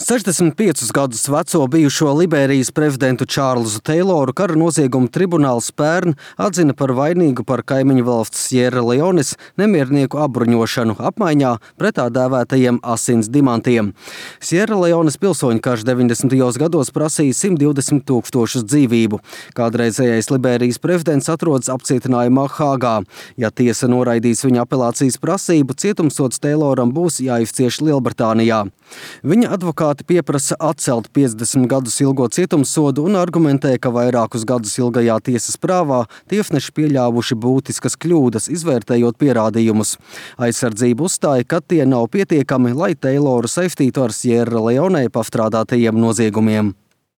65 gadus veco bijušo Liberijas prezidentu Čārlzu Teiloru kara noziegumu tribunāls pērn atzina par vainīgu par kaimiņu valsts Sierra Leones nemiernieku apbruņošanu apmaiņā pret tā dēvētajiem asins dimantiem. Sierra Leones pilsoņu karš 90. gados prasīja 120 000 dzīvību. Kādreizējais Liberijas prezidents atrodas apcietinājumā Hāgā. Ja tiesa noraidīs viņa apelācijas prasību, cietumsods Teiloram būs jāizcieš Lielbritānijā. Viņa advokāti pieprasa atcelt 50 gadus ilgo cietumsodu un argumentē, ka vairākus gadus ilgajā tiesas prāvā tiesneši pieļāvuši būtiskas kļūdas, izvērtējot pierādījumus. Aizsardzība uzstāja, ka tie nav pietiekami, lai Teiloru saistītu ar Sierra Leonē pastrādātajiem noziegumiem.